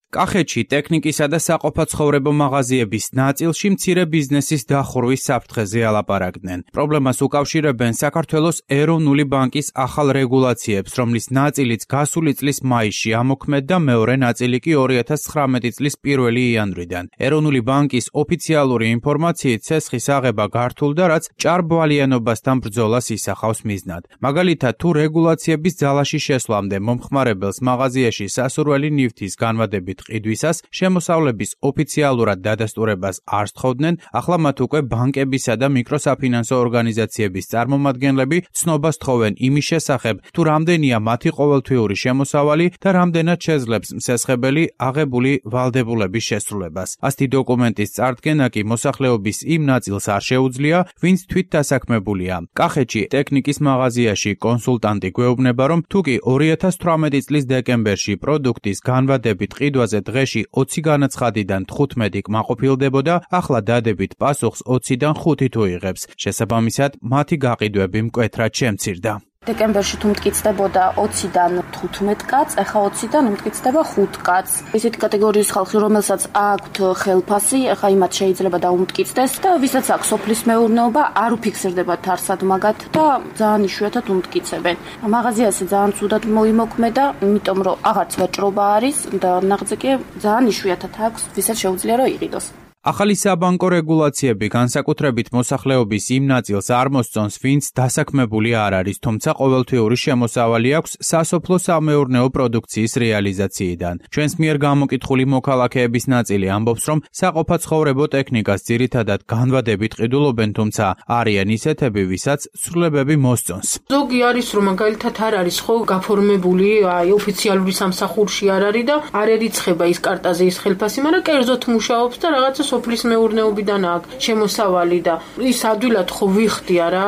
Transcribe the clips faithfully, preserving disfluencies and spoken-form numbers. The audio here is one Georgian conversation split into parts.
კახეთში ტექნიკისა და საყოფაცხოვრებო მაღაზიების ნაწილში მცირე ბიზნესის დახურვის საფრთხეზე ალაპარაკდნენ. პრობლემას უკავშირებენ საქართველოს ეროვნული ბანკის ახალ რეგულაციებს, რომლის ნაწილიც გასული წლის მაისში ამოქმედდა, მეორე ნაწილი კი ორი ათას ცხრამეტი წლის პირველი იანვრიდან. ეროვნული ბანკის ოფიციალური ინფორმაციით ცესხის აღება გართულდა, რაც ჭარბვალიანობასთან ბრძოლას ისახავს მიზნად. მაგალითად, თუ რეგულაციების ძალაში შესვლამდე მომხმარებელს მაღაზიაში სასურველი ნივთის განვადებით ყიდვისას შემოსავლების ოფიციალურად დადასტურებას არ სთხოვდნენ, ახლა მათ უკვე ბანკებისა და მიკროსაფინანსო ორგანიზაციების წარმომადგენლები ცნობას თხოვენ იმის შესახებ, თუ რამდენია მათი ყოველთვიური შემოსავალი და რამდენად შეძლებს მსესხებელი აღებული ვალდებულების შესრულებას. ასეთი დოკუმენტის წარდგენა კი მოსახლეობის იმ ნაწილს არ შეუძლია, ვინც თვით დასაქმებულია. კახეთში ტექნიკის მაღაზიაში კონსულტანტი გვეუბნება, რომ თუ კი ორი ათას თვრამეტი წლის დეკემბერში პროდუქტის განვადებით ყიდვაზე დღეში ოცი განაცხადიდან თხუთმეტი კმაყოფილდებოდა, ახლა დადებით პასუხს ოციდან ხუთი თუ იღებს. შესაბამისად, მათი გაყიდვები მკვეთრად შემცირდა. დეკემბერში თუ მტკიცდებოდა ოციდან თხუთმეტ კაც, ახლა ოციდან მტკიცდება ხუთ კაც. ესეთი კატეგორიის ხალხი, რომელსაც აქვთ ხელფასი, ახლა იმათ შეიძლება დაუმტკიცდეს და ვისაც აქვს სოფლის მეურნეობა, არ უფიქსირდებათ არსად მაგათ და ძალიან იშვიათად უმტკიცებენ. მაღაზიაზე ძალიან ცუდად მოიმოქმედა, იმიტომ რომ აღარც ვაჭრობა არის და ნაღზე კი ძალიან იშვიათად აქვს, ვისაც შეუძლია რომ იყიდოს. ახალი საბანკო რეგულაციები განსაკუთრებით მოსახლეობის იმ ნაწილს არ მოსწონს, ვინც დასაქმებული არ არის, თუმცა ყოველთვიური შემოსავალი აქვს სასოფლო-სამეურნეო პროდუქციის რეალიზაციიდან. ჩვენს მიერ გამოკითხული მოქალაქეების ნაწილი ამბობს, რომ საყოფაცხოვრებო ტექნიკას ძირითადად განვადებით ყიდულობენ, თუმცა არიან ისეთები, ვისაც ცვლილებები მოსწონს. ზოგი არის, რომ მაგალითად არ არის ხო გაფორმებული, აი ოფიციალური სამსახურში არ არის და არ ერიცხება ის კარტაზე ის ხელფასი, მაგრამ კერძოდ მუშაობს და რაღაცა სოფლის მეურნეობიდან აქვს შემოსავალი და ის ადვილად ხო ვიხდი არა,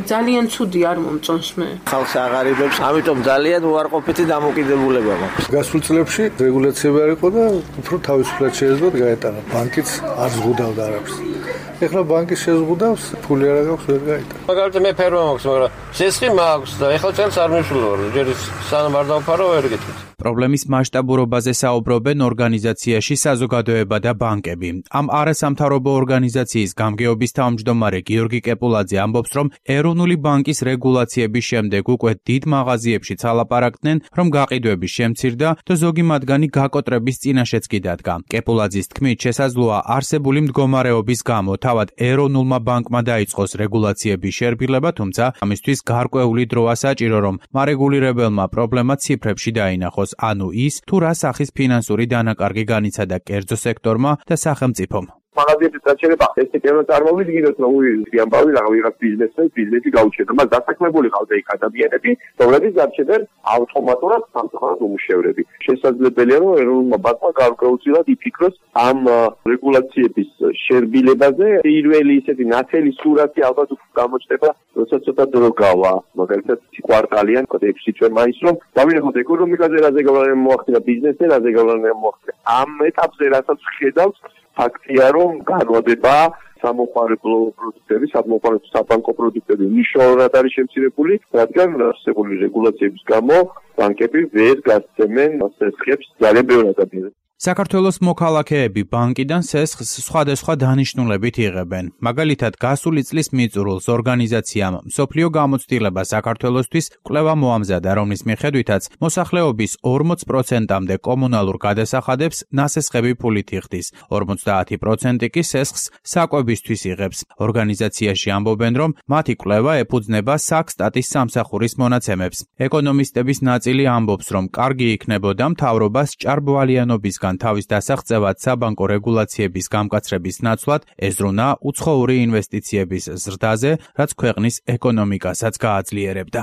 ძალიან ცუდი არ მომწონს მე. ხალხს აღარებებს, ამიტომ ძალიან უარყოფითი დამოკიდებულება მაქვს. გასულ წლებში რეგულაციები არ იყო და უფრო თავისუფლად შეეძლოთ გაეტანა. ბანკიც არ ზღუდავდა არაფერს. ეხლა ბანკი შეზღუდავს, ფული არ აქვს, ვერ გაეტანა. მაგალითად მე ფერმა მაქვს, მაგრამ სესხი მაქვს და ეხლა წელს არ მისულვარ, ჯერ სანამ არ დავფარო ვერ გეტყვით. პრობლემის მასშტაბურობაზე საუბრობენ ორგანიზაციაში საზოგადოება და ბანკები. ამ არასამთავრობო ორგანიზაციის გამგეობის თავმჯდომარე გიორგი კეპულაძე ამბობს, რომ ეროვნული ბანკის რეგულაციების შემდეგ უკვე დიდ მაღაზიებშიც ალაპარაკდნენ, რომ გაყიდვები შემცირდა და ზოგი მათგანი გაკოტრების წინაშეც კი დადგა. კეპულაძის თქმით, შესაძლოა არსებული მდგომარეობის გამო თავად ეროვნულმა ბანკმა დაიწყოს რეგულაციების შერბილება, თუმცა ამისთვის გარკვეული დროა საჭირო, რომ მარეგულირებელმა პრობლემა ციფრებში დაინახოს. ანუ ის, თუ რა სახის ფინანსური დანაკარგი განიცადა კერძო სექტორმა და სახელმწიფომ. მაღაზიების გაჩერება ეს ტიპის წარმოვიდგინოთ, რომ უი ამბავი რაღაც ბიზნესს ბიზნესი გაუჩერდა, მას დასაქმებული ყავდა იქ ადამიანები, რომლებიც დარჩენდნენ ავტომატურად სამწუხაროდ უმუშევრები. შესაძლებელია, რომ ეროვნულმა ბანკმა გარკვეულწილად იფიქროს ამ რეგულაციების შერბილებაზე. პირველი ისეთი ნათელი სურათი ალბათ გამოჩნდება, როცა ცოტა დრო გავა, მაგალითად კვარტალიან ექვსი თვე მაინც რომ დავინახოთ ეკონომიკაზე რაზე გავლენა მოახდინა, ბიზნესზე რაზე გავლენა მოახდინა. ამ ეტაპზე რასაც ხედავს ფაქტია, რომ განვადება სამოყვარებო პროდუქტები, სამოყვარებო საბანკო პროდუქტები მნიშვნელოვნად არის შემცირებული, რადგან არსებული რეგულაციების გამო ბანკები ვერ გასცემენ სესხებს ძალიან ბევრ ადამიანს. საქართველოს მოქალაქეები ბანკიდან სესხს სხვადასხვა დანიშნულებით იღებენ. მაგალითად, გასული წლის მიწურულს ორგანიზაციამ მსოფლიო გამოცდილება საქართველოსთვის კვლევა მოამზადა, რომლის მიხედვითაც მოსახლეობის ორმოც პროცენტამდე კომუნალურ გადასახადებს ნასესხები ფულით იხდის. ორმოცდაათი პროცენტი კი სესხს საკვებისთვის იღებს. ორგანიზაციაში ამბობენ, რომ მათი კვლევა ეფუძნება საქსტატის სამსახურის მონაცემებს. ეკონომისტების ნაწილი ამბობს, რომ კარგი იქნებოდა მთავრობას ჭარბვალიანობისგან თავის დასაღწევად საბანკო რეგულაციების გამკაცრების ნაცვლად ეზრუნა უცხოური ინვესტიციების ზრდაზე, რაც ქვეყნის ეკონომიკასაც გააძლიერებდა.